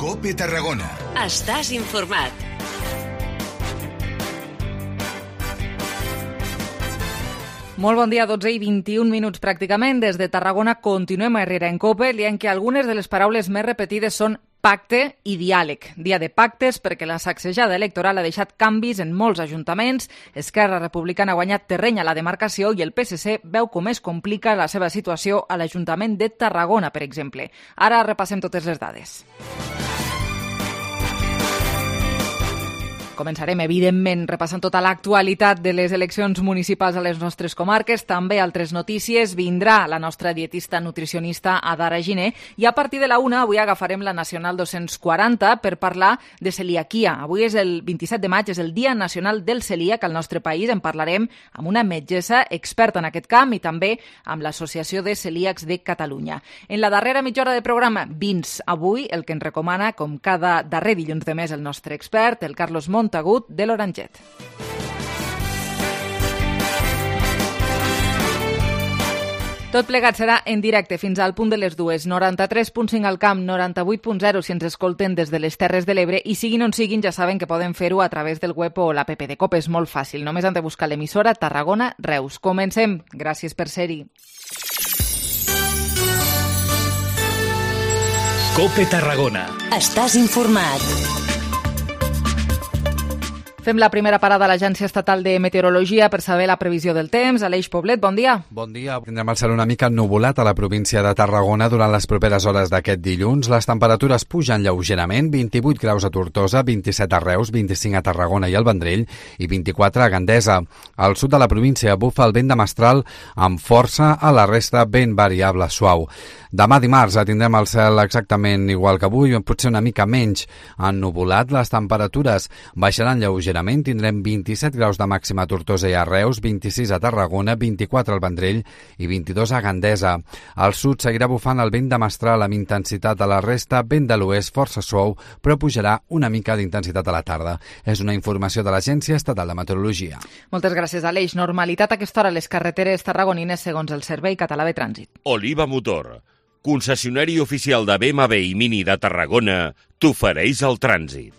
COPE Tarragona. Estàs informat. Molt bon dia, 12 i 21 minuts pràcticament. Des de Tarragona continuem a Herrera en COPE, dient que algunes de les paraules més repetides són pacte i diàleg. Dia de pactes perquè la sacsejada electoral ha deixat canvis en molts ajuntaments. Esquerra Republicana ha guanyat terreny a la demarcació i el PSC veu com es complica la seva situació a l'Ajuntament de Tarragona, per exemple. Ara repassem totes les dades. Començarem, evidentment, repassant tota l'actualitat de les eleccions municipals a les nostres comarques. També altres notícies. Vindrà la nostra dietista nutricionista Adara Giner i a partir de la 1 avui agafarem la Nacional 240 per parlar de celiaquia. Avui és el 27 de maig, és el Dia Nacional del Celíac al nostre país. En parlarem amb una metgessa experta en aquest camp i també amb l'Associació de Celíacs de Catalunya. En la darrera mitja hora de programa, vins. Avui el que ens recomana, com cada darrer dilluns de mes, el nostre expert, el Carlos Montagut, de l'Oranget. Tot plegat serà en directe fins al punt de les 2. 93.5 al camp, 98.0 si ens escolten des de les Terres de l'Ebre i siguin on siguin ja saben que poden fer-ho a través del web o l'app de COPE. És molt fàcil, només han de buscar l'emissora Tarragona Reus. Comencem. Gràcies per ser-hi. COPE Tarragona. Estàs informat. Fem la primera parada a l'Agència Estatal de Meteorologia per saber la previsió del temps. Aleix Poblet, bon dia. Bon dia. Tindrem el cel una mica ennuvolat a la província de Tarragona durant les properes hores d'aquest dilluns. Les temperatures pugen lleugerament, 28 graus a Tortosa, 27 a Reus, 25 a Tarragona i al Vendrell i 24 a Gandesa. Al sud de la província bufa el vent de mestral amb força, a la resta vent variable suau. Demà dimarts tindrem el cel exactament igual que avui, potser una mica menys ennuvolat. Les temperatures baixaran lleugerament, tindrem 27 graus de màxima a Tortosa i a Reus, 26 a Tarragona, 24 al Vendrell i 22 a Gandesa. Al sud seguirà bufant el vent de mestral amb intensitat a la resta, vent de l'oest força suau, però pujarà una mica d'intensitat a la tarda. És una informació de l'Agència Estatal de Meteorologia. Moltes gràcies, Aleix. Normalitat a aquesta hora a les carreteres tarragonines segons el Servei Català de Trànsit. Oliva Motor, concessionari oficial de BMW i Mini de Tarragona, t'ofereix el trànsit.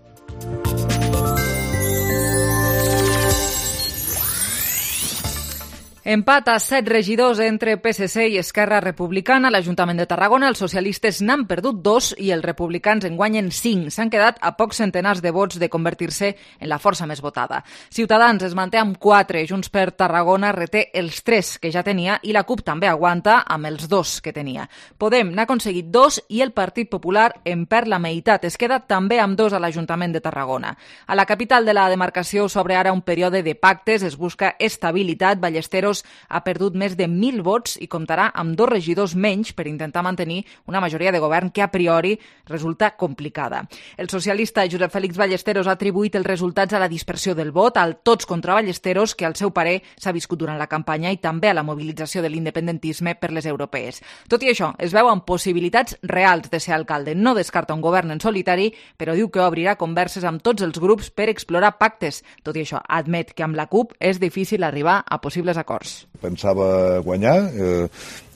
Empat a 7 regidors entre PSC i Esquerra Republicana. A l'Ajuntament de Tarragona els socialistes n'han perdut 2 i els republicans en guanyen 5. S'han quedat a pocs centenars de vots de convertir-se en la força més votada. Ciutadans es manté amb 4, Junts per Tarragona reté els 3 que ja tenia i la CUP també aguanta amb els 2 que tenia. Podem n'ha aconseguit 2 i el Partit Popular en perd la meitat. Es queda també amb 2 a l'Ajuntament de Tarragona. A la capital de la demarcació s'obre ara un període de pactes, es busca estabilitat. Ballesteros ha perdut més de 1.000 vots i comptarà amb 2 regidors menys per intentar mantenir una majoria de govern que a priori resulta complicada. El socialista Josep Félix Ballesteros ha atribuït els resultats a la dispersió del vot, al tots contra Ballesteros, que al seu parer s'ha viscut durant la campanya, i també a la mobilització de l'independentisme per les europees. Tot i això, es veuen possibilitats reals de ser alcalde. No descarta un govern en solitari, però diu que obrirà converses amb tots els grups per explorar pactes. Tot i això, admet que amb la CUP és difícil arribar a possibles acords. Pensava guanyar,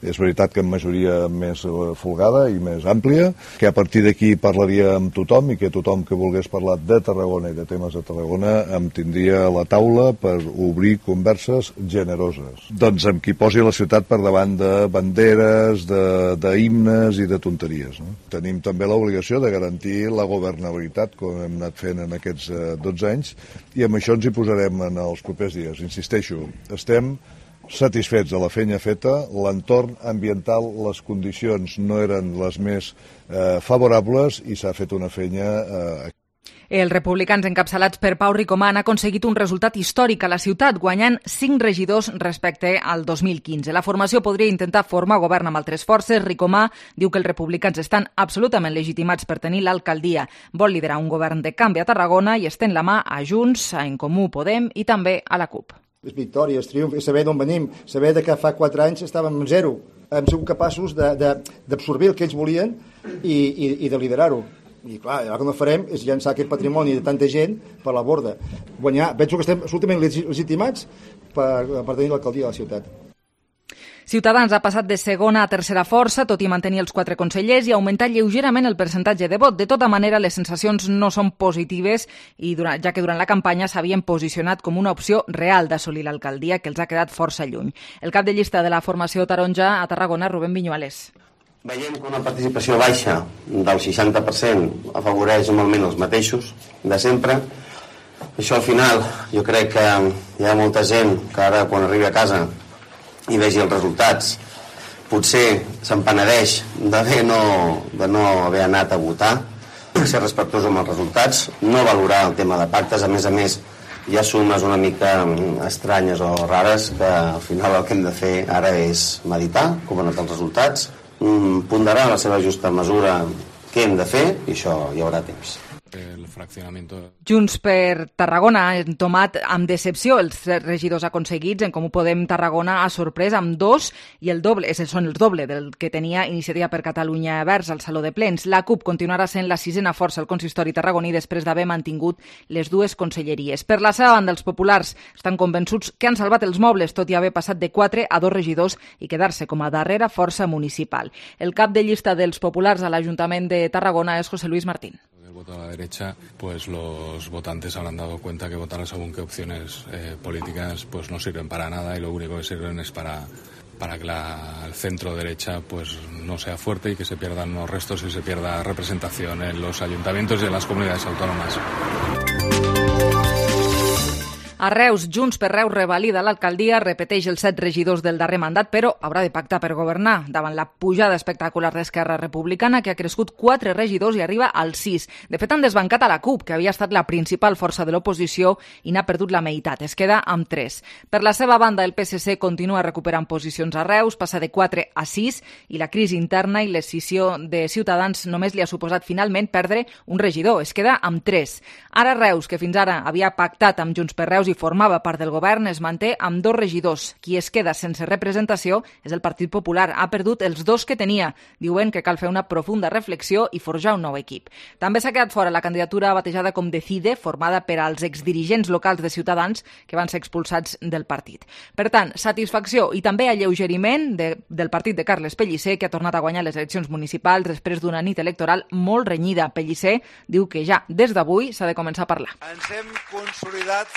és veritat que amb majoria més folgada i més àmplia, que a partir d'aquí parlaria amb tothom i que tothom que volgués parlar de Tarragona i de temes de Tarragona em tindria a la taula per obrir converses generoses. Doncs amb qui posi la ciutat per davant de banderes, d'himnes i de tonteries. No? Tenim també l'obligació de garantir la governabilitat, com hem anat fent en aquests 12 anys, i amb això ens hi posarem en els propers dies. Insisteixo, estem satisfets de la feina feta, l'entorn ambiental, les condicions no eren les més favorables i s'ha fet una feina. Els republicans encapçalats per Pau Ricomà han aconseguit un resultat històric a la ciutat, guanyant 5 regidors respecte al 2015. La formació podria intentar formar govern amb altres forces. Ricomà diu que els republicans estan absolutament legitimats per tenir l'alcaldia. Vol liderar un govern de canvi a Tarragona i estén la mà a Junts, a En Comú Podem i també a la CUP. És victòria, és triomf, és saber d'on venim, saber que fa 4 anys estàvem en 0. Hem sigut capaços d'absorbir el que ells volien i de liderar-ho. I clar, el que no farem és llançar aquest patrimoni de tanta gent per la borda. Guanyar, penso que estem absolutament legitimats per tenir l'alcaldia de la ciutat. Ciutadans ha passat de segona a tercera força, tot i mantenir els 4 consellers i augmentar lleugerament el percentatge de vot. De tota manera, les sensacions no són positives, ja que durant la campanya s'havien posicionat com una opció real d'assolir l'alcaldia, que els ha quedat força lluny. El cap de llista de la formació taronja a Tarragona, Rubén Viñuales. Veiem que una participació baixa del 60% afavoreix normalment els mateixos de sempre. Això al final jo crec que hi ha molta gent que ara quan arribi a casa i vegi els resultats potser s'empenedeix de no haver anat a votar, ser respectuós amb els resultats, no valorar el tema de pactes. A més, hi ha sumes una mica estranyes o rares que al final el que hem de fer ara és meditar com han anat els resultats, ponderar la seva justa mesura què hem de fer i això hi haurà temps. Junts per Tarragona ha entomat amb decepció els 3 regidors aconseguits. En Comú Podem Tarragona ha sorprès amb 2 i el doble del que tenia Iniciativa per Catalunya Verds al Saló de Plens. La CUP continuarà sent la 6ª força al consistori tarragoní després d'haver mantingut les 2 conselleries. Per la seva banda, els populars estan convençuts que han salvat els mobles, tot i haver passat de 4 a 2 regidors i quedar-se com a darrera força municipal. El cap de llista dels populars a l'Ajuntament de Tarragona és José Luis Martín. Voto a la derecha, pues los votantes habrán dado cuenta que votar según qué opciones políticas pues no sirven para nada y lo único que sirven es para que el centro derecha pues no sea fuerte y que se pierdan los restos y se pierda representación en los ayuntamientos y en las comunidades autónomas. A Reus, Junts per Reus revalida l'alcaldia, repeteix els 7 regidors del darrer mandat, però haurà de pactar per governar davant la pujada espectacular d'Esquerra Republicana, que ha crescut 4 regidors i arriba als 6. De fet, han desbancat a la CUP, que havia estat la principal força de l'oposició i n'ha perdut la meitat. Es queda amb 3. Per la seva banda, el PSC continua recuperant posicions a Reus, passa de 4 a 6, i la crisi interna i l'escissió de Ciutadans només li ha suposat finalment perdre un regidor. Es queda amb 3. Ara Reus, que fins ara havia pactat amb Junts per Reus i formava part del govern, es manté amb 2 regidors. Qui es queda sense representació és el Partit Popular. Ha perdut els 2 que tenia. Diuen que cal fer una profunda reflexió i forjar un nou equip. També s'ha quedat fora la candidatura batejada com Decide, formada per als exdirigents locals de Ciutadans que van ser expulsats del partit. Per tant, satisfacció i també alleugeriment del partit de Carles Pellicer, que ha tornat a guanyar les eleccions municipals després d'una nit electoral molt renyida. Pellicer diu que ja des d'avui s'ha de començar a parlar. Ens hem consolidat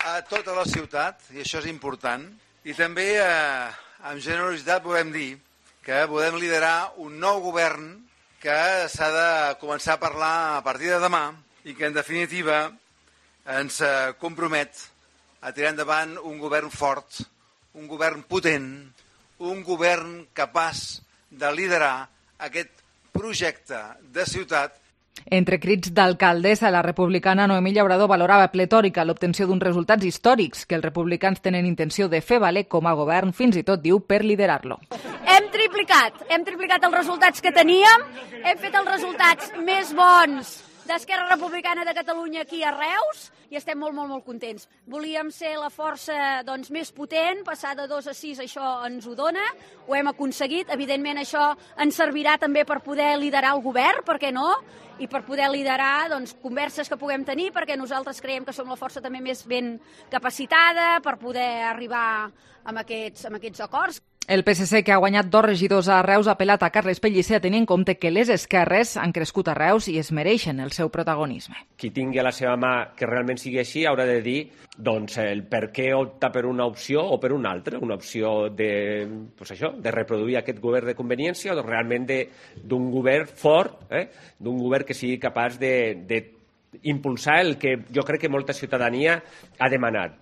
a tota la ciutat, i això és important, i també amb generositat podem dir que podem liderar un nou govern que s'ha de començar a parlar a partir de demà i que en definitiva ens compromet a tirar endavant un govern fort, un govern potent, un govern capaç de liderar aquest projecte de ciutat. Entre crits d'alcaldessa, la republicana Noemí Llaurador valorava pletòrica l'obtenció d'uns resultats històrics que els republicans tenen intenció de fer valer com a govern, fins i tot, diu, per liderar-lo. Hem triplicat els resultats que teníem, hem fet els resultats més bons d'Esquerra Republicana de Catalunya aquí a Reus i estem molt contents. Volíem ser la força més potent, passar de 2 a 6, això ens ho dona, ho hem aconseguit. Evidentment això ens servirà també per poder liderar el govern, per què no? I per poder liderar converses que puguem tenir, perquè nosaltres creiem que som la força també més ben capacitada per poder arribar a aquests acords. El PSC, que ha guanyat 2 regidors a Reus, ha apel·lat a Carles Pellicer a tenir en compte que les esquerres han crescut a Reus i es mereixen el seu protagonisme. Qui tingui a la seva mà que realment sigui així haurà de dir el per què opta per una opció o per una altra, una opció de reproduir aquest govern de conveniència o realment d'un govern fort, d'un govern que sigui capaç d'impulsar el que jo crec que molta ciutadania ha demanat.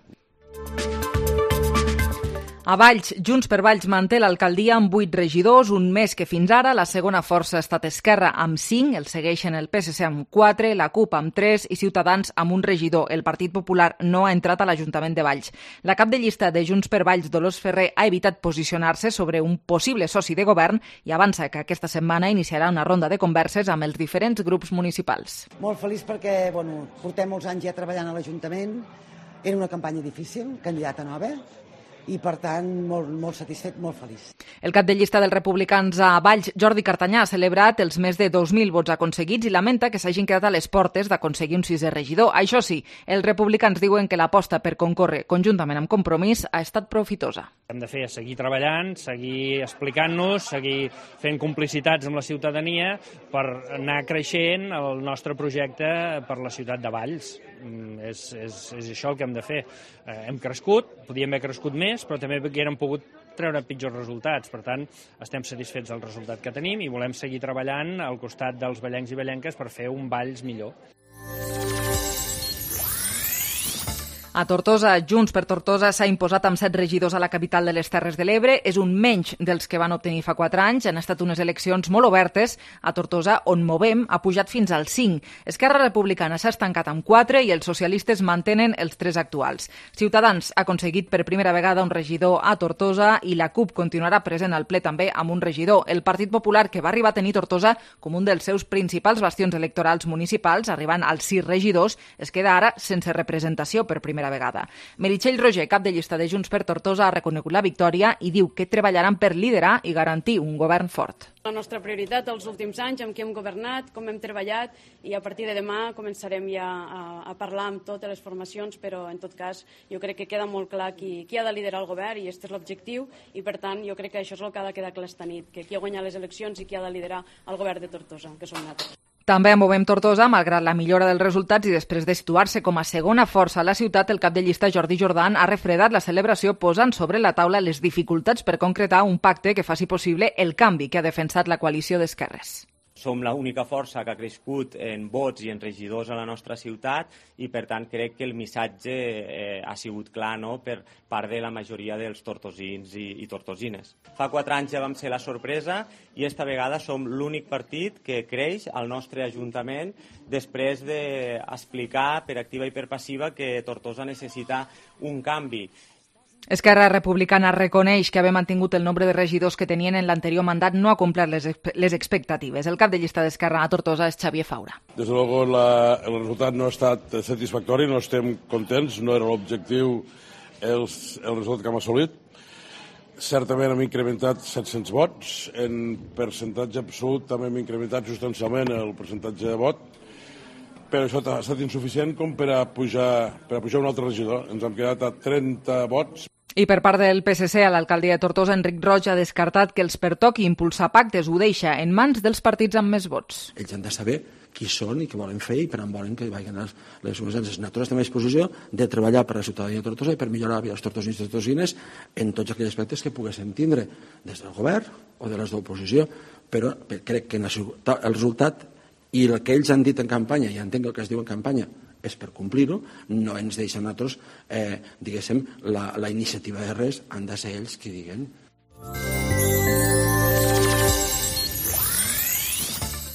A Valls, Junts per Valls manté l'alcaldia amb 8 regidors, un més que fins ara. La segona força ha estat Esquerra amb 5, el segueixen el PSC amb 4, la CUP amb 3 i Ciutadans amb un regidor. El Partit Popular no ha entrat a l'Ajuntament de Valls. La cap de llista de Junts per Valls, Dolors Ferrer, ha evitat posicionar-se sobre un possible soci de govern i avança que aquesta setmana iniciarà una ronda de converses amb els diferents grups municipals. Molt feliç perquè portem molts anys ja treballant a l'Ajuntament. Era una campanya difícil, candidata nova. i per tant molt satisfet, molt feliç. El cap de llista dels republicans a Valls, Jordi Cartanyà, ha celebrat els més de 2.000 vots aconseguits i lamenta que s'hagin quedat a les portes d'aconseguir un 6è regidor. Això sí, els republicans diuen que l'aposta per concórrer conjuntament amb Compromís ha estat profitosa. Hem de fer seguir treballant, seguir explicant-nos, seguir fent complicitats amb la ciutadania per anar creixent el nostre projecte per la ciutat de Valls. És això el que hem de fer. Hem crescut, podíem haver crescut més, però també haguérem pogut treure pitjors resultats. Per tant, estem satisfets del resultat que tenim i volem seguir treballant al costat dels vallencs i vallenques per fer un Valls millor. A Tortosa, Junts per Tortosa s'ha imposat amb 7 regidors a la capital de les Terres de l'Ebre. És un menys dels que van obtenir fa 4 anys. Han estat unes eleccions molt obertes. A Tortosa, on Movem ha pujat fins al 5. Esquerra Republicana s'ha estancat amb 4 i els socialistes mantenen els 3 actuals. Ciutadans ha aconseguit per primera vegada un regidor a Tortosa i la CUP continuarà present al ple també amb un regidor. El Partit Popular, que va arribar a tenir Tortosa com un dels seus principals bastions electorals municipals, arribant als 6 regidors, es queda ara sense representació per primera vegada. Meritxell Roger, cap de llista de Junts per Tortosa, ha reconegut la victòria i diu que treballaran per liderar i garantir un govern fort. La nostra prioritat els últims anys, amb qui hem governat, com hem treballat, i a partir de demà començarem ja a parlar amb totes les formacions, però en tot cas jo crec que queda molt clar qui ha de liderar el govern i aquest és l'objectiu i per tant jo crec que això és el que ha de quedar clar esta nit, que qui ha guanyat les eleccions i qui ha de liderar el govern de Tortosa, que som nosaltres. També a Movem Tortosa, malgrat la millora dels resultats i després de situar-se com a segona força a la ciutat, el cap de llista Jordi Jordan ha refredat la celebració posant sobre la taula les dificultats per concretar un pacte que faci possible el canvi que ha defensat la coalició d'esquerres. Som l'única força que ha crescut en vots i en regidors a la nostra ciutat i, per tant, crec que el missatge ha sigut clar, no?, per part de la majoria dels tortosins i tortosines. Fa 4 anys ja vam ser la sorpresa i esta vegada som l'únic partit que creix al nostre ajuntament després d'explicar per activa i per passiva que Tortosa necessita un canvi. Esquerra Republicana reconeix que haver mantingut el nombre de regidors que tenien en l'anterior mandat no ha complert les expectatives. El cap de llista d'Esquerra a Tortosa és Xavier Faura. Desde luego el resultat no ha estat satisfactori, no estem contents, no era l'objectiu el resultat que hem assolit. Certament hem incrementat 700 vots, en percentatge absolut també hem incrementat substancialment el percentatge de vot, però això ha estat insuficient com per a pujar un altre regidor. Ens hem quedat a 30 vots. I per part del PSC, a l'alcaldia de Tortosa, Enric Roig ha descartat que els pertoqui impulsar pactes. Ho deixa en mans dels partits amb més vots. Ells han de saber qui són i què volen fer i per on volen que vagin les organitzacions. Nosaltres estem a disposició de treballar per la ciutadania de Tortosa i per millorar la vida dels tortosins i tortosines en tots aquells aspectes que poguéssim tindre des del govern o de les d'oposició, però crec que el resultat i el que ells han dit en campanya, i entenc el que es diu en campanya, és per complir-ho, no ens deixen nosaltres, diguéssim, la iniciativa de res, han de ser ells qui diguen.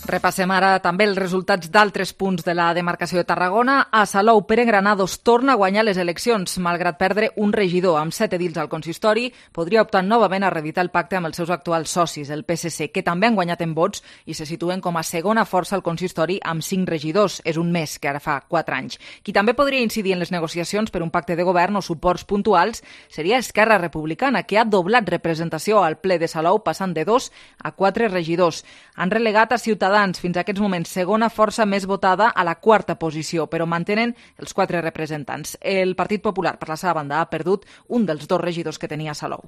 Repassem ara també els resultats d'altres punts de la demarcació de Tarragona. A Salou, Pere Granados torna a guanyar les eleccions. Malgrat perdre un regidor amb 7 edils al consistori, podria optar novament a reeditar el pacte amb els seus actuals socis, el PSC, que també han guanyat en vots i se situen com a segona força al consistori amb 5 regidors. És un més que ara fa 4 anys. Qui també podria incidir en les negociacions per un pacte de govern o suports puntuals seria Esquerra Republicana, que ha doblat representació al ple de Salou, passant de 2 a 4 regidors. Han relegat a Ciutadans fins a aquests moments segona força més votada a la 4a posició, però mantenen els 4 representants. El Partit Popular, per la seva banda, ha perdut un dels 2 regidors que tenia a Salou.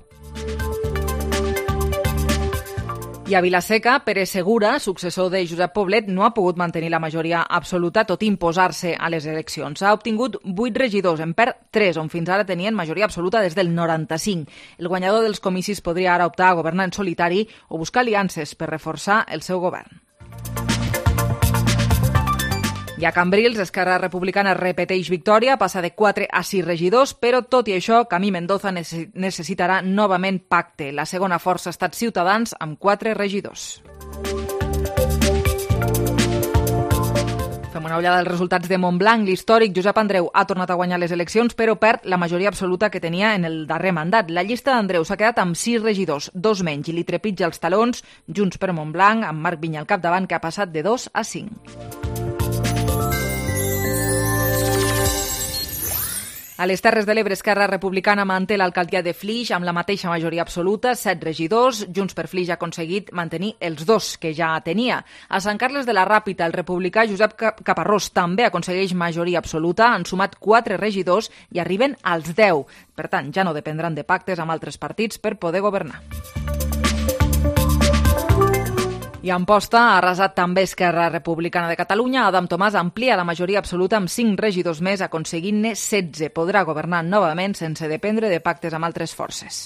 I a Vilaseca, Pere Segura, successor de Josep Poblet, no ha pogut mantenir la majoria absoluta tot i imposar-se a les eleccions. Ha obtingut 8 regidors, en perd 3, on fins ara tenien majoria absoluta des del 95. El guanyador dels comicis podria ara optar a governar en solitari o buscar aliances per reforçar el seu govern. I a Cambrils, Esquerra Republicana repeteix victòria, passa de 4 a 6 regidors, però tot i això, Camí Mendoza necessitarà novament pacte. La segona força ha estat Ciutadans amb 4 regidors. Fem una ullada als resultats de Montblanc. L'històric Josep Andreu ha tornat a guanyar les eleccions, però perd la majoria absoluta que tenia en el darrer mandat. La llista d'Andreu s'ha quedat amb 6 regidors, 2 menys, i li trepitja els talons Junts per Montblanc, amb Marc Vinya al capdavant, que ha passat de 2 a 5. A les Terres de l'Ebre, Esquerra Republicana manté l'alcaldia de Flix amb la mateixa majoria absoluta, 7 regidors. Junts per Flix ha aconseguit mantenir els 2 que ja tenia. A Sant Carles de la Ràpita, el republicà Josep Caparrós també aconsegueix majoria absoluta. Han sumat 4 regidors i arriben als 10. Per tant, ja no dependran de pactes amb altres partits per poder governar. I a Amposta ha arrasat també Esquerra Republicana de Catalunya. Adam Tomàs amplia la majoria absoluta amb 5 regidors més, aconseguint-ne 16. Podrà governar novament sense dependre de pactes amb altres forces.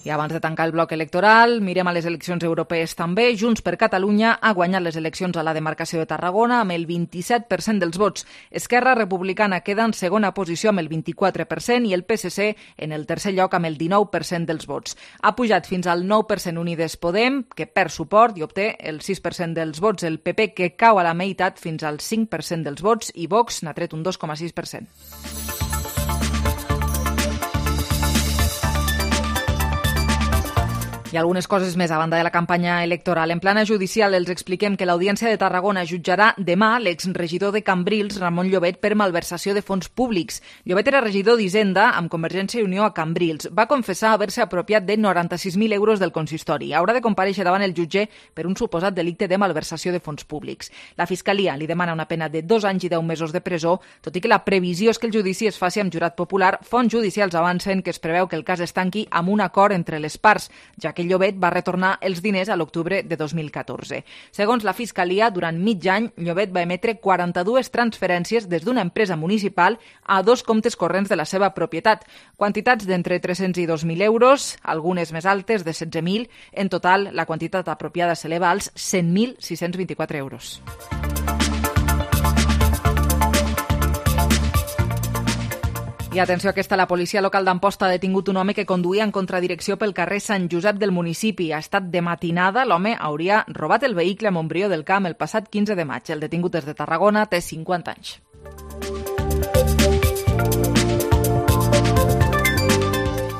I abans de tancar el bloc electoral, mirem a les eleccions europees també. Junts per Catalunya ha guanyat les eleccions a la demarcació de Tarragona amb el 27% dels vots. Esquerra Republicana queda en segona posició amb el 24% i el PSC en el tercer lloc amb el 19% dels vots. Ha pujat fins al 9% Unides Podem, que perd suport i obté el 6% dels vots. El PP, que cau a la meitat fins al 5% dels vots, i Vox n'ha tret un 2,6%. I algunes coses més a banda de la campanya electoral. En plana judicial els expliquem que l'Audiència de Tarragona jutjarà demà l'exregidor de Cambrils, Ramon Llobet, per malversació de fons públics. Llobet era regidor d'Hisenda amb Convergència i Unió a Cambrils. Va confessar haver-se apropiat de 96.000 euros del consistori. Haurà de comparèixer davant el jutge per un suposat delicte de malversació de fons públics. La Fiscalia li demana una pena de 2 anys i 10 mesos de presó, tot i que la previsió és que el judici es faci amb jurat popular. Fonts judicials avancen que es preveu que el cas es tanqui amb un acord entre les parts, ja que Llobet va retornar els diners a l'octubre de 2014. Segons la Fiscalia, durant mig any, Llobet va emetre 42 transferències des d'una empresa municipal a 2 comptes corrents de la seva propietat, quantitats d'entre 300 i 2.000 euros, algunes més altes de 16.000. En total, la quantitat apropiada s'eleva als 100.624 euros. I atenció, aquesta, la policia local d'Amposta ha detingut un home que conduïa en contradirecció pel carrer Sant Josep del municipi. Ha estat de matinada. L'home hauria robat el vehicle a Montbrió del Camp el passat 15 de maig. El detingut és de Tarragona, té 50 anys.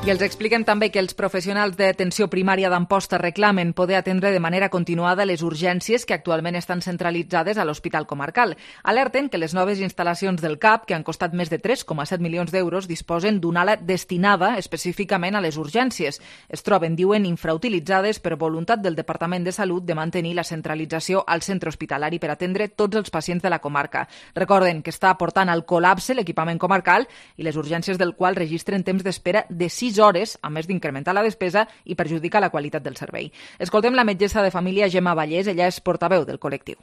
I els expliquem també que els professionals d'atenció primària d'Amposta reclamen poder atendre de manera continuada les urgències que actualment estan centralitzades a l'Hospital Comarcal. Alerten que les noves instal·lacions del CAP, que han costat més de 3,7 milions d'euros, disposen d'una ala destinada específicament a les urgències. Es troben, diuen, infrautilitzades per voluntat del Departament de Salut de mantenir la centralització al centre hospitalari per atendre tots els pacients de la comarca. Recorden que està portant al col·lapse l'equipament comarcal i les urgències del qual registren temps d'espera de 6 hores, a més d'incrementar la despesa i perjudicar la qualitat del servei. Escoltem la metgessa de família Gemma Vallès, ella és portaveu del col·lectiu.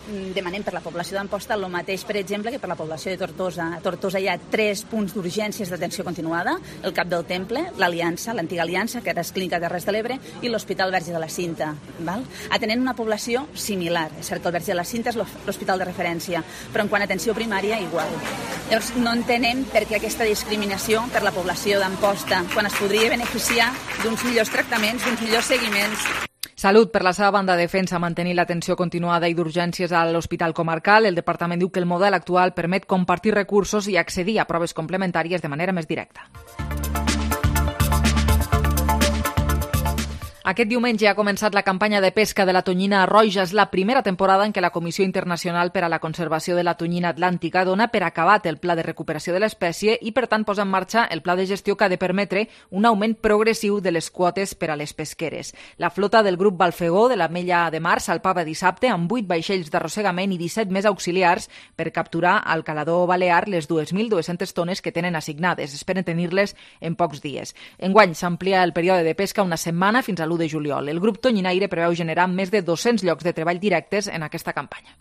Demanem per la població d'Amposta el mateix, per exemple, que per la població de Tortosa. A Tortosa hi ha 3 punts d'urgències d'atenció continuada, el Cap del Temple, l'Aliança, l'antiga Aliança, que ara és Clínica Terres de l'Ebre, i l'Hospital Verge de la Cinta. Atenent una població similar. És cert que el Verge de la Cinta és l'hospital de referència, però en quant a atenció primària, igual. Llavors, no entenem per què aquesta discriminació per la població d'Amposta, quan es podria beneficiar d'uns millors tractaments, d'uns millors seguiments. Salut, per la seva banda, defensa mantenir l'atenció continuada i d'urgències a l'Hospital Comarcal. El departament diu que el model actual permet compartir recursos i accedir a proves complementàries de manera més directa. Aquest diumenge ha començat la campanya de pesca de la tonyina roja. És la primera temporada en què la Comissió Internacional per a la Conservació de la Tonyina Atlàntica dona per acabat el pla de recuperació de l'espècie i, per tant, posa en marxa el pla de gestió que ha de permetre un augment progressiu de les quotes per a les pesqueres. La flota del grup Balfegó de l'Ametlla de Mar salpava dissabte amb 8 vaixells d'arrossegament i 17 més auxiliars per capturar al calador balear les 2.200 tones que tenen assignades. Esperen tenir-les en pocs dies. Enguany s'amplia el període de pesca una setmana fins a l'1 de juliol. El grup tonyinaire preveu generar més de 200 llocs de treball directes en aquesta campanya.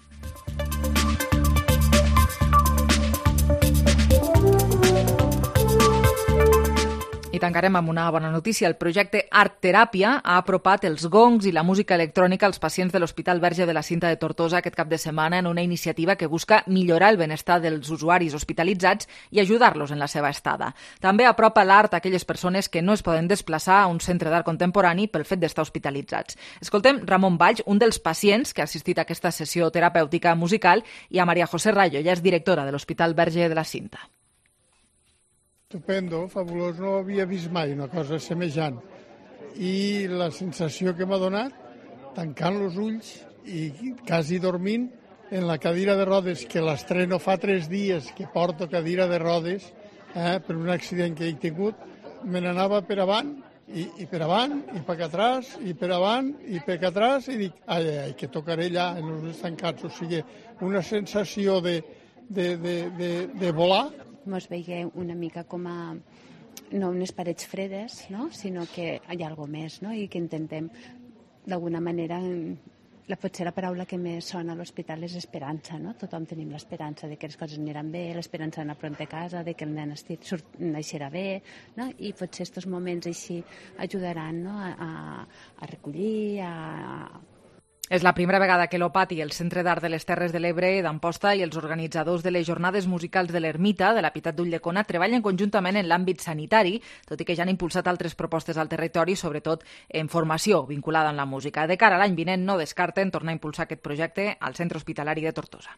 I tancarem amb una bona notícia. El projecte Art Teràpia ha apropat els gongs i la música electrònica als pacients de l'Hospital Verge de la Cinta de Tortosa aquest cap de setmana en una iniciativa que busca millorar el benestar dels usuaris hospitalitzats i ajudar-los en la seva estada. També apropa l'art a aquelles persones que no es poden desplaçar a un centre d'art contemporani pel fet d'estar hospitalitzats. Escoltem Ramon Valls, un dels pacients que ha assistit a aquesta sessió terapèutica musical, i a Maria José Rayo, ella és directora de l'Hospital Verge de la Cinta. Estupendo, fabulós, no havia vist mai una cosa semejant. I la sensació que m'ha donat, tancant els ulls i quasi dormint, en la cadira de rodes, que l'estreno fa 3 dies que porto cadira de rodes, per un accident que he tingut, me n'anava per avant, i per avant, i per atrás, i per avant, i per atrás, i dic, ai, que tocaré allà en els estancats. O sigui, una sensació de volar. Mos veiem una mica com a no unes parets fredes, no? Sinó que hi ha alguna cosa més, no? I que intentem, d'alguna manera, potser la paraula que més sona a l'hospital és esperança, no? Tothom tenim l'esperança de que les coses aniran bé, l'esperança d'anar pront a casa, de que el nen naixerà bé, no? I potser aquests moments així ajudaran, no? a recollir, És la primera vegada que l'OPAT i el Centre d'Art de les Terres de l'Ebre d'Amposta i els organitzadors de les jornades musicals de l'Ermita de la Pietat d'Ulldecona treballen conjuntament en l'àmbit sanitari, tot i que ja han impulsat altres propostes al territori, sobretot en formació vinculada amb la música. De cara a l'any vinent no descarten tornar a impulsar aquest projecte al Centre Hospitalari de Tortosa.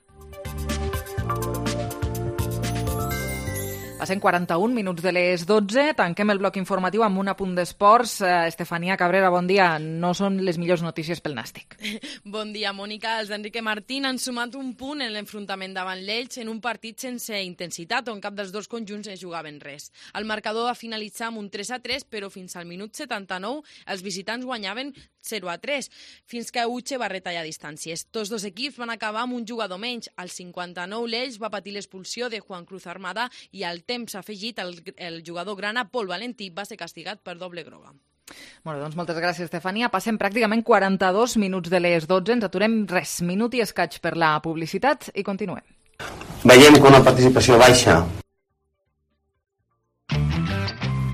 Passen 41 minuts de les 12, tanquem el bloc informatiu amb un apunt d'esports. Estefania Cabrera, bon dia. No són les millors notícies pel Nàstic. Bon dia, Mònica. Els d'Enrique Martín han sumat un punt en l'enfrontament davant l'Elx en un partit sense intensitat, on cap dels dos conjunts es jugaven res. El marcador va finalitzar amb un 3-3, però fins al minut 79 els visitants guanyaven 0-3, fins que Uche va retallar distàncies. Tots dos equips van acabar amb un jugador menys. Al 59 l'Elx va patir l'expulsió de Juan Cruz Armada i al temps afegit el jugador grana Pol Valentí va ser castigat per doble groga. Bueno, doncs moltes gràcies, Estefania. Passem pràcticament 42 minuts de les 12. Ens aturem minut i escaig per la publicitat i continuem. Veiem que una participació baixa.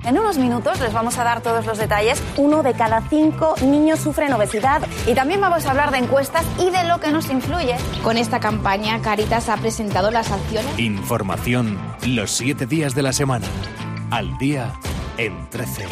En unos minutos les vamos a dar todos los detalles. 1 de cada 5 niños sufren obesidad y también vamos a hablar de encuestas y de lo que nos influye. Con esta campaña, Cáritas ha presentado las acciones. Información los 7 días de la semana. Al día en 13.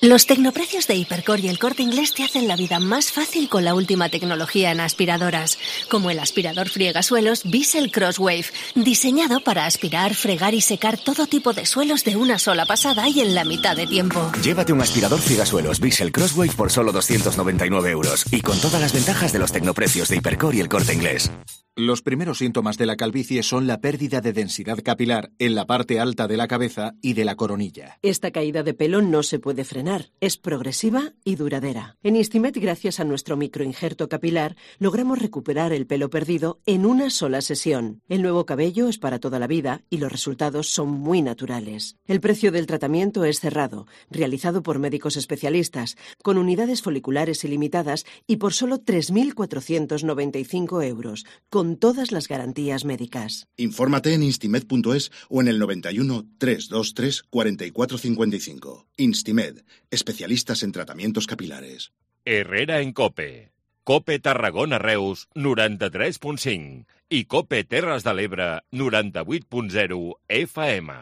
Los tecnoprecios de Hipercor y El Corte Inglés te hacen la vida más fácil con la última tecnología en aspiradoras, como el aspirador friegasuelos Bissell Crosswave, diseñado para aspirar, fregar y secar todo tipo de suelos de una sola pasada y en la mitad de tiempo. Llévate un aspirador friegasuelos Bissell Crosswave por solo 299 € y con todas las ventajas de los tecnoprecios de Hipercor y El Corte Inglés. Los primeros síntomas de la calvicie son la pérdida de densidad capilar en la parte alta de la cabeza y de la coronilla. Esta caída de pelo no se puede frenar, es progresiva y duradera. En Instimed, gracias a nuestro microinjerto capilar, logramos recuperar el pelo perdido en una sola sesión. El nuevo cabello es para toda la vida y los resultados son muy naturales. El precio del tratamiento es cerrado, realizado por médicos especialistas, con unidades foliculares ilimitadas y por solo 3.495 €, con todas las garantías médicas. Infórmate en instimed.es o en el 91 323 4455. Instimed, especialistas en tratamientos capilares. Herrera en COPE. COPE Tarragona Reus 93.5 i COPE Terres de l'Ebre 98.0 FM.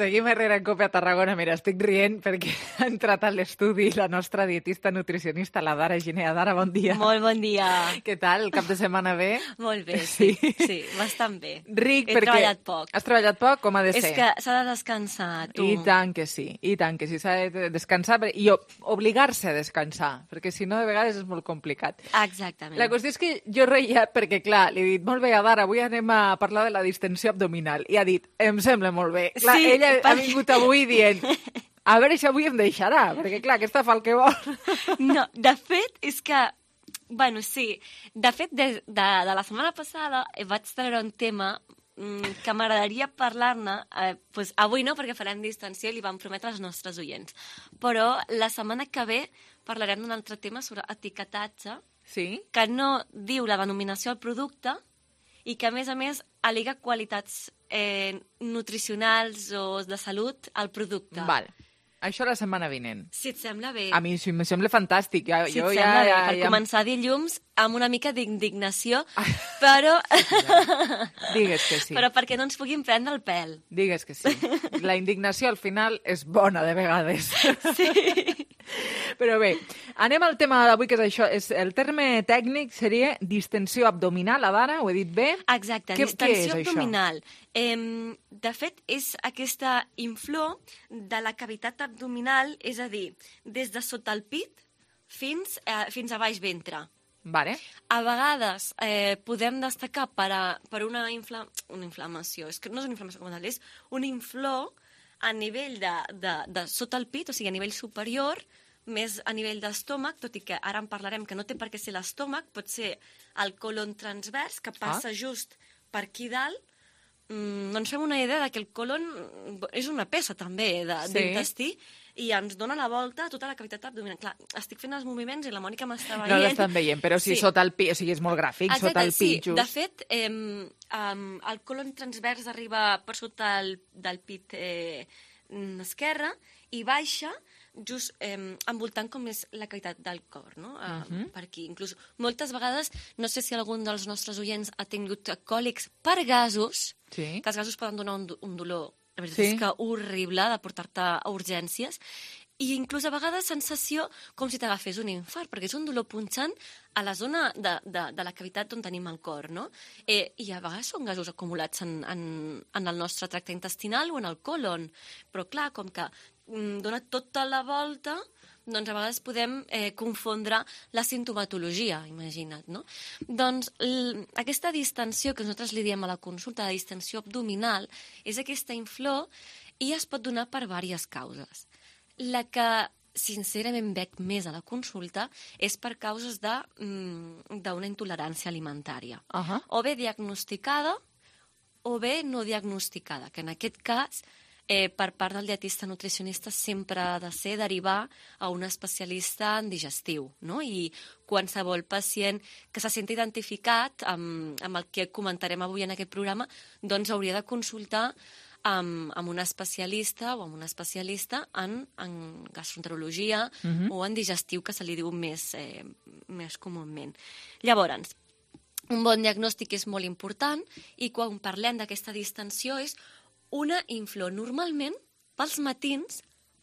Seguim Herrera en COPE a Tarragona. Mira, estic rient perquè ha entrat a l'estudi la nostra dietista nutricionista, la Dara Ginea. Dara, bon dia. Molt bon dia. Què tal? El cap de setmana bé? Molt bé, sí, bastant bé. Ric, He treballat poc. Has treballat poc? Com ha de ser? És que s'ha de descansar, tu. I tant que sí, s'ha de descansar i obligar-se a descansar, perquè si no, de vegades és molt complicat. Exactament. La qüestió és que jo reia perquè, clar, li he dit, molt bé, Dara, avui anem a parlar de la distensió abdominal. I ha dit, em sembla molt bé. Clar, sí, ella ha vingut avui dient, a veure si avui em deixarà, perquè clar, aquesta fa el que vol. No, de fet, és que, bueno, sí, de fet, de la setmana passada vaig treure un tema que m'agradaria parlar-ne, doncs avui no, perquè farem distensió i li vam prometre als nostres oients, però la setmana que ve parlarem d'un altre tema sobre etiquetatge, que no diu la denominació del producte i que, a més, al·lega qualitats nutricionals o de salut al producte. Val. Això la setmana vinent. Si et sembla bé. A mi sí, em sembla fantàstic. Si et sembla bé, per començar dilluns amb una mica d'indignació, però... Digues que sí. Però perquè no ens puguin prendre el pèl. Digues que sí. La indignació al final és bona de vegades. Sí. Però bé, anem al tema d'avui, que és això. El terme tècnic seria distensió abdominal, Adara, ho he dit bé? Exacte, Què distensió és abdominal. De fet, és aquesta inflor de la cavitat abdominal, és a dir, des de sota el pit fins a baix ventre. Vale. A vegades podem destacar per una inflamació. És que no és una inflamació com tal, és un inflor a nivell de sota el pit, o sigui, a nivell superior, més a nivell d'estómac, tot i que ara en parlarem que no té per què ser l'estómac, pot ser el colon transvers, que passa just per aquí dalt. Doncs fem una idea que el colon és una peça també d'intestí i ens dona la volta a tota la cavitat abdominal. Clar, estic fent els moviments i la Mònica m'està veient. No l'estan veient, però sí, sota el pit, o sigui, és molt gràfic, exacte, sota el pit, just. De fet, el colon transvers arriba per sota del pit esquerre i baixa just envoltant com és la cavitat del cor, no? Per aquí. Inclús moltes vegades, no sé si algun dels nostres oients ha tingut còlics per gasos, que els gasos poden donar un dolor, la veritat és que horrible, de portar-te a urgències, i inclús a vegades sensació com si t'agafés un infart, perquè és un dolor punxant a la zona de la cavitat on tenim el cor, no? I a vegades són gasos acumulats en el nostre tracte intestinal o en el colon, però clar, com que dona tota la volta, doncs a vegades podem confondre la sintomatologia, imagina't, no? Doncs aquesta distensió que nosaltres li diem a la consulta, la distensió abdominal, és aquesta inflor i es pot donar per diverses causes. La que sincerament veig més a la consulta és per causes d'una intolerància alimentària. O bé diagnosticada o bé no diagnosticada, que en aquest cas per part del dietista nutricionista sempre ha de ser derivar a un especialista en digestiu, no? I qualsevol pacient que se senti identificat amb el que comentarem avui en aquest programa, doncs hauria de consultar amb un especialista o amb una especialista en gastroenterologia o en digestiu, que se li diu més comúment. Llavors, un bon diagnòstic és molt important i quan parlem d'aquesta distensió és una inflor. Normalment, pels matins,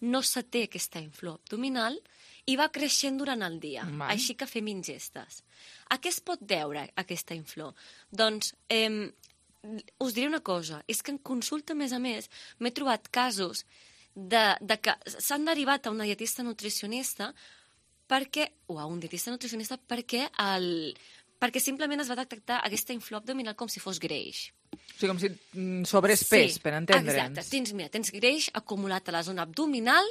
no se té aquesta inflor abdominal i va creixent durant el dia, així que fem ingestes. A què es pot deure aquesta inflor? Doncs us diré una cosa, és que en consulta, a més, m'he trobat casos de que s'han derivat a una dietista nutricionista o a un dietista nutricionista perquè simplement es va detectar aquesta inflor abdominal com si fos greix. O sigui, com si sobrés pes, per entendre'ns. Exacte, tens greix acumulat a la zona abdominal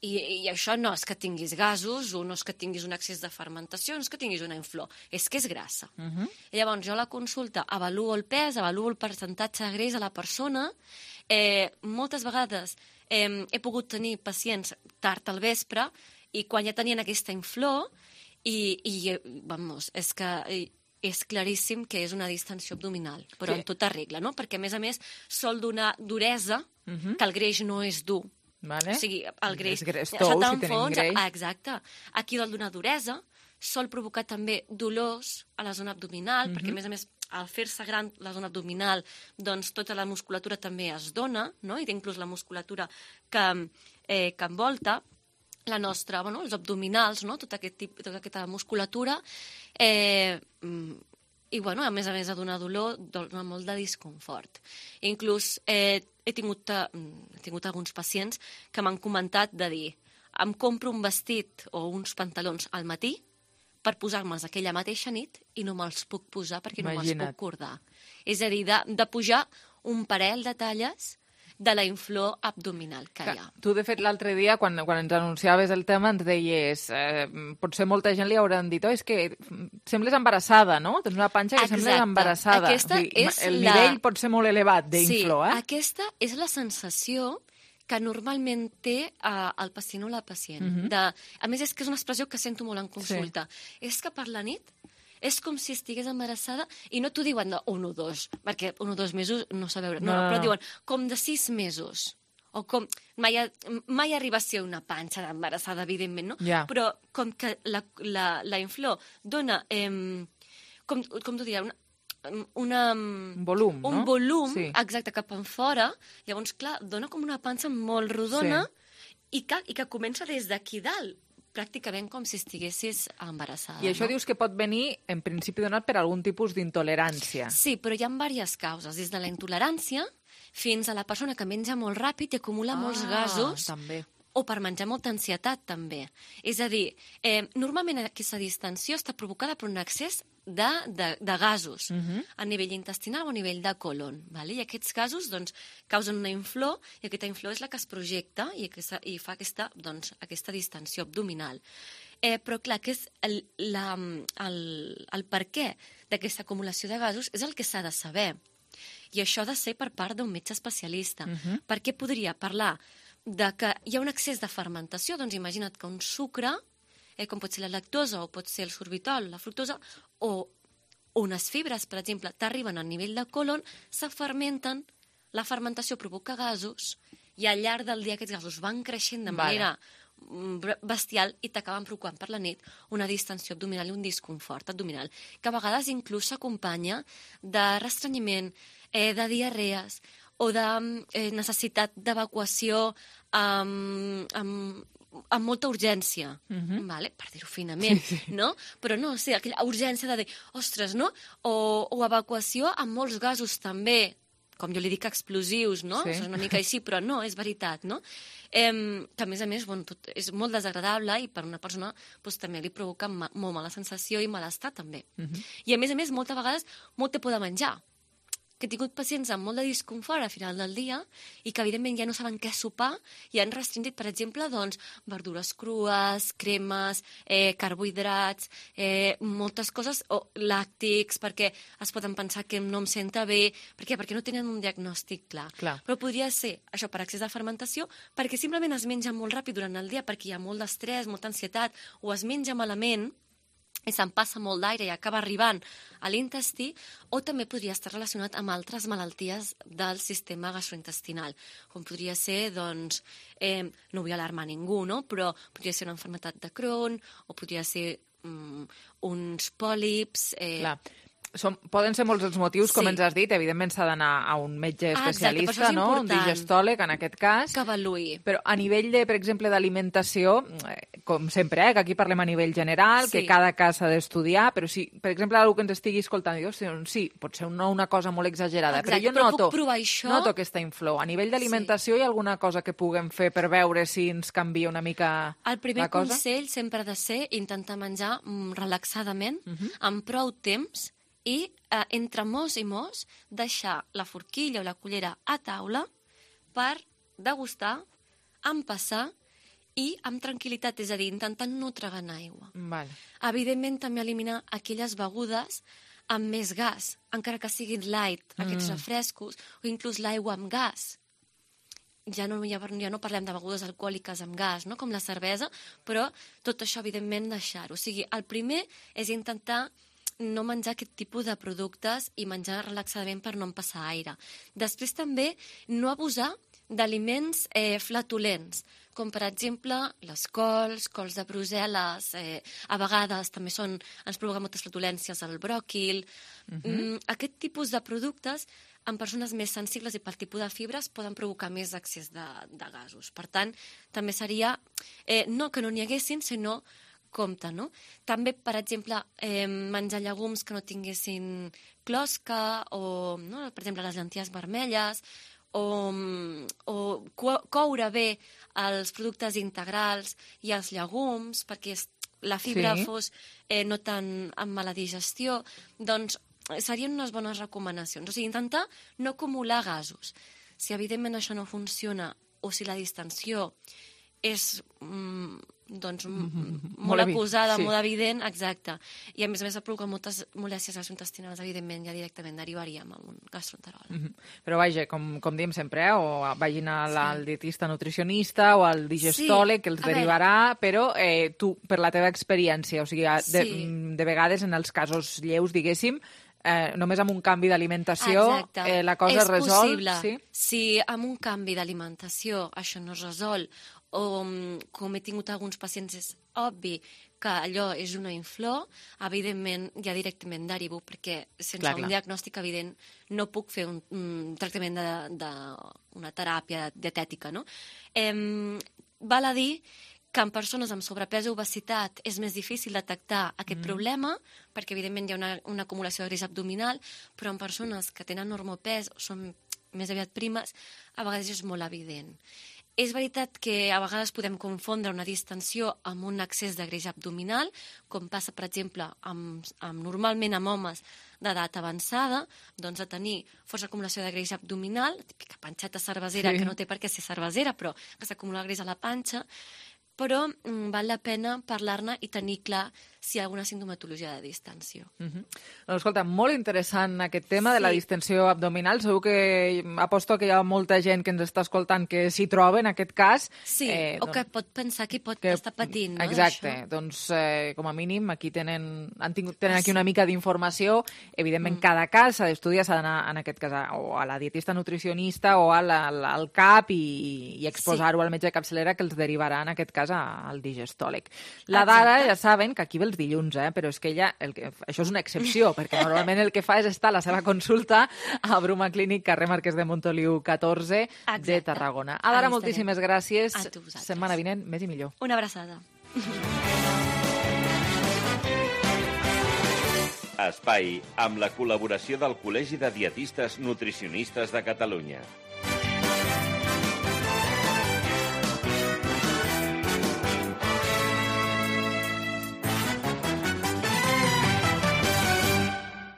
i això no és que tinguis gasos o no és que tinguis un excés de fermentació, no és que tinguis una inflor, és que és grassa. I llavors jo a la consulta avaluo el pes, avaluo el percentatge de greix a la persona. Moltes vegades he pogut tenir pacients tard al vespre i quan ja tenien aquesta inflor és que és claríssim que és una distensió abdominal, però en tota regla, no? Perquè, a més, sol donar duresa, que el greix no és dur. O sigui, el greix... És tou, si tenim greix. Exacte. Aquí vol donar duresa, sol provocar també dolors a la zona abdominal, perquè, a més, al fer-se gran la zona abdominal, doncs tota la musculatura també es dona, no? I inclús la musculatura que envolta la nostra, els abdominals, no? Tota aquesta musculatura, i, a més a donar dolor, dona molt de disconfort. Inclús he tingut alguns pacients que m'han comentat de dir em compro un vestit o uns pantalons al matí per posar-me'ls aquella mateixa nit i no me'ls puc posar perquè no me'ls puc cordar. És a dir, de pujar un parell de talles de la inflor abdominal que hi ha. Tu, de fet, l'altre dia, quan ens anunciaves el tema, ens deies, potser molta gent li hauran dit, és que sembles embarassada, no? Tens una panxa que sembles embarassada. El nivell pot ser molt elevat d'inflor, Sí, aquesta és la sensació que normalment té el pacient o la pacient. A més, és que és una expressió que sento molt en consulta. És que per la nit és com si estigués embarassada i no t'ho diuen de 1 o 2, perquè 1 o 2 mesos no sé veure, però diuen com de 6 mesos. O com... Mai arriba a ser una panxa embarassada, evidentment, no? Però com que la inflor dona... Com t'ho diria? Un volum, no? Un volum, exacte, cap en fora. Llavors, clar, dona com una panxa molt rodona i que comença des d'aquí dalt. pràcticament com si estiguessis embarassada. I això no? dius que pot venir, en principi, donat per algun tipus d'intolerància. Sí, però hi ha diverses causes, des de la intolerància fins a la persona que menja molt ràpid i acumula molts gasos, també. o per menjar molta ansietat, també. És a dir, normalment aquesta distensió està provocada per un excés de gasos a nivell intestinal o a nivell de colon. I aquests gasos causen una inflor, i aquesta inflor és la que es projecta i fa aquesta distensió abdominal. Però clar, que és el per què d'aquesta acumulació de gasos és el que s'ha de saber. I això ha de ser per part d'un metge especialista. Perquè podria parlar de que hi ha un excés de fermentació, doncs imagina't que un sucre, com pot ser la lactosa o pot ser el sorbitol, la fructosa, o unes fibres, per exemple, t'arriben a nivell de colon, se fermenten, la fermentació provoca gasos, i al llarg del dia aquests gasos van creixent de manera bestial i t'acaben provocant per la nit una distensió abdominal i un disconfort abdominal, que a vegades inclús s'acompanya de restrenyiment, de diarrees, o de necessitat d'evacuació amb molta urgència, per dir-ho finament, no? Però no, sí, aquella urgència de dir, ostres, no? O evacuació amb molts gasos també, com jo li dic explosius, no? És una mica així, però no, és veritat, no? Que a més, és molt desagradable i per una persona també li provoca molt mala sensació i malestar també. I a més, moltes vegades, molt te por de menjar, que he tingut pacients amb molt de disconfort a final del dia i que, evidentment, ja no saben què sopar i han restringit, per exemple, verdures crues, cremes, carbohidrats, moltes coses, o làctics, perquè es poden pensar que no em senta bé. Per què? Perquè no tenen un diagnòstic clar. Però podria ser això per excés de fermentació, perquè simplement es menja molt ràpid durant el dia, perquè hi ha molt d'estrès, molta ansietat, o es menja malament, i se'n passa molt d'aire i acaba arribant a l'intestí, o també podria estar relacionat amb altres malalties del sistema gastrointestinal, com podria ser, no vull alarmar ningú, no? Però podria ser una malaltia de Crohn, o podria ser uns pòlips... Poden ser molts els motius, com ens has dit. Evidentment s'ha d'anar a un metge especialista, no? Un digestòleg, en aquest cas. Que avaluï. Però a nivell, per exemple, d'alimentació, com sempre, que aquí parlem a nivell general, que cada cas s'ha d'estudiar, però si, per exemple, algú que ens estigui escoltant, diu, sí, pot ser una cosa molt exagerada, però jo noto aquesta inflor. A nivell d'alimentació hi ha alguna cosa que puguem fer per veure si ens canvia una mica la cosa? El primer consell sempre ha de ser intentar menjar relaxadament, amb prou temps, i entre mos i mos deixar la forquilla o la cullera a taula per degustar, empassar i amb tranquil·litat, és a dir, intentant no tragar aigua. Evidentment, també eliminar aquelles begudes amb més gas, encara que siguin light, aquests refrescos, o inclús l'aigua amb gas. Ja no parlem de begudes alcohòliques amb gas, no? Com la cervesa, però tot això, evidentment, deixar-ho. O sigui, el primer és intentar no menjar aquest tipus de productes i menjar relaxadament per no empassar aire. Després també no abusar d'aliments flatulents, com per exemple les cols de Brussel·les, a vegades també ens provoca moltes flatulències el bròquil. Aquest tipus de productes en persones més sensibles i pel tipus de fibres poden provocar més excés de gasos. Per tant, també seria no que no n'hi haguessin, sinó compte, no? També, per exemple, menjar llegums que no tinguessin closca, o, per exemple, les llenties vermelles, o coure bé els productes integrals i els llegums, perquè la fibra fos no tan amb mala digestió, doncs serien unes bones recomanacions. O sigui, intentar no acumular gasos. Si, evidentment, això no funciona, o si la distensió és molt acusada, molt evident, exacte. I a més va provocar moltes molèsties gastrointestinals, evidentment, ja directament derivaríem a un gastroenteròleg. Però vaja, com diem sempre, o vagin al dietista nutricionista o al digestòleg, que els derivarà, però tu, per la teva experiència, o sigui, de vegades en els casos lleus, diguéssim, només amb un canvi d'alimentació la cosa es resol? És possible. Si amb un canvi d'alimentació això no es resol, o com he tingut alguns pacients, és obvi que allò és una inflor, evidentment ja directament derivo, perquè sense un diagnòstic evident no puc fer un tractament d'una teràpia dietètica, no? Val a dir que en persones amb sobrepès o obesitat és més difícil detectar aquest problema, perquè evidentment hi ha una acumulació de greix abdominal, però en persones que tenen normopès o són més aviat primes, a vegades és molt evident. És veritat que a vegades podem confondre una distensió amb un excés de greix abdominal, com passa, per exemple, normalment amb homes d'edat avançada, doncs a tenir força acumulació de greix abdominal, típica panxeta cervesera, que no té per què ser cervesera, però que s'acumula greix a la panxa, però val la pena parlar-ne i tenir clar si hi ha alguna sintomatologia de distensió. Doncs escolta, molt interessant aquest tema de la distensió abdominal. Segur que aposto que hi ha molta gent que ens està escoltant que s'hi troba en aquest cas. Sí, o que pot pensar que pot estar patint, no? Exacte, doncs com a mínim aquí tenen aquí una mica d'informació. Evidentment, cada cas s'ha d'estudiar, s'ha d'anar en aquest cas o a la dietista nutricionista o al CAP i exposar-ho al metge de capçalera que els derivarà en aquest cas al digestòleg. La Dara, ja saben que aquí ve els dilluns, però és que ella, això és una excepció, perquè normalment el que fa és estar a la seva consulta a Bruma Clínic, carrer Marquès de Montoliu 14 de Tarragona. Dara, moltíssimes gràcies. Setmana vinent, més i millor. Una abraçada. Espai amb la col·laboració del Col·legi de Dietistes Nutricionistes de Catalunya.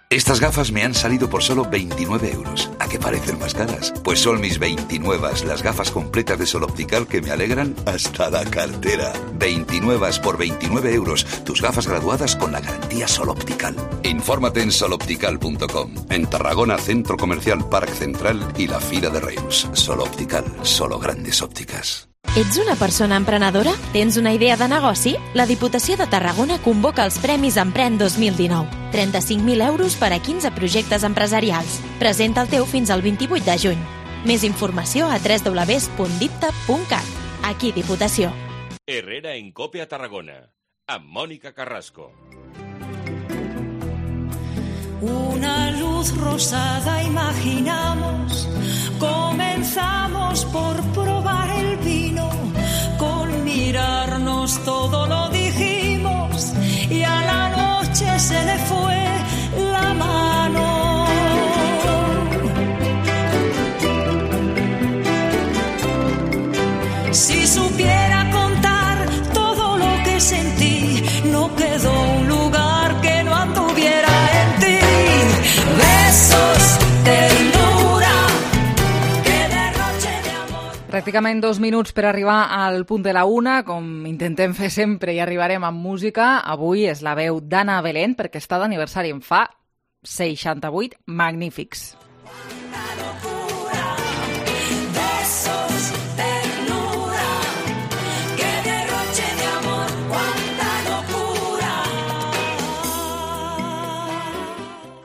Estas gafas me han salido por solo 29 euros. ¿A qué parecen más caras? Pues son mis 29, las gafas completas de Sol Optical que me alegran hasta la cartera. 29 por 29 euros. Tus gafas graduadas con la garantía Sol Optical. Infórmate en soloptical.com. En Tarragona, Centro Comercial Parc Central y la Fira de Reus. Sol Optical, solo grandes ópticas. Ets una persona emprenedora? Tens una idea de negoci? La Diputació de Tarragona convoca els Premis Empren 2019. 35.000 euros per a 15 projectes empresarials. Presenta el teu fins al 28 de juny. Més informació a www.dipta.cat. Aquí Diputació. Herrera en COPE a Tarragona, amb Mònica Carrasco. Una luz rosada imaginamos, comenzamos por probar el vino, con mirarnos todo lo dijimos y a la noche se le fue la mano. Si supiera contar todo lo que sentí, no quedó un lugar que no anduviera en ti. Besos, ternura, que derroche de amor. Pràcticament 2 minuts per arribar al punt de la 1, com intentem fer sempre i arribarem amb música. Avui és la veu d'Anna Belén, perquè està d'aniversari, en fa 68 magnífics.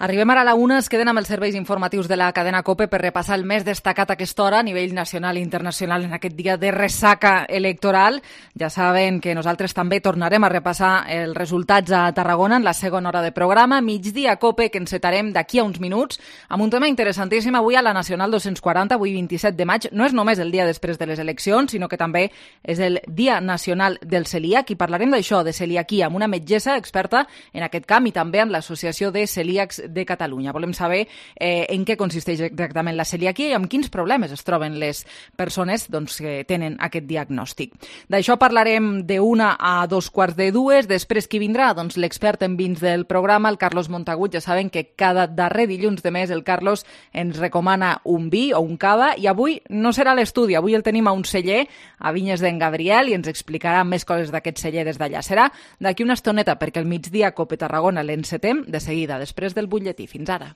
Arribem ara a la 1, es queden amb els serveis informatius de la cadena COPE per repassar el més destacat a aquesta hora a nivell nacional i internacional en aquest dia de ressaca electoral. Ja saben que nosaltres també tornarem a repassar els resultats a Tarragona en la segona hora de programa. Migdia COPE, que encetarem d'aquí a uns minuts amb un tema interessantíssim avui a la Nacional 240, avui 27 de maig. No és només el dia després de les eleccions, sinó que també és el Dia Nacional del Celíac i parlarem d'això, de celiaquia, amb una metgessa experta en aquest camp i també amb l'Associació de Celíacs de Catalunya. Volem saber en què consisteix exactament la celiaquia i amb quins problemes es troben les persones que tenen aquest diagnòstic. D'això parlarem de 1 a 2:15. Després qui vindrà? Doncs l'expert en vins del programa, el Carlos Montagut. Ja saben que cada darrer dilluns de mes el Carlos ens recomana un vi o un cava i avui no serà l'estudi, avui el tenim a un celler, a Vinyes d'en Gabriel, i ens explicarà més coses d'aquest celler des d'allà. Serà d'aquí una estoneta perquè el migdia COPE Tarragona l'encetem de seguida, després del butlletí. Fins ara.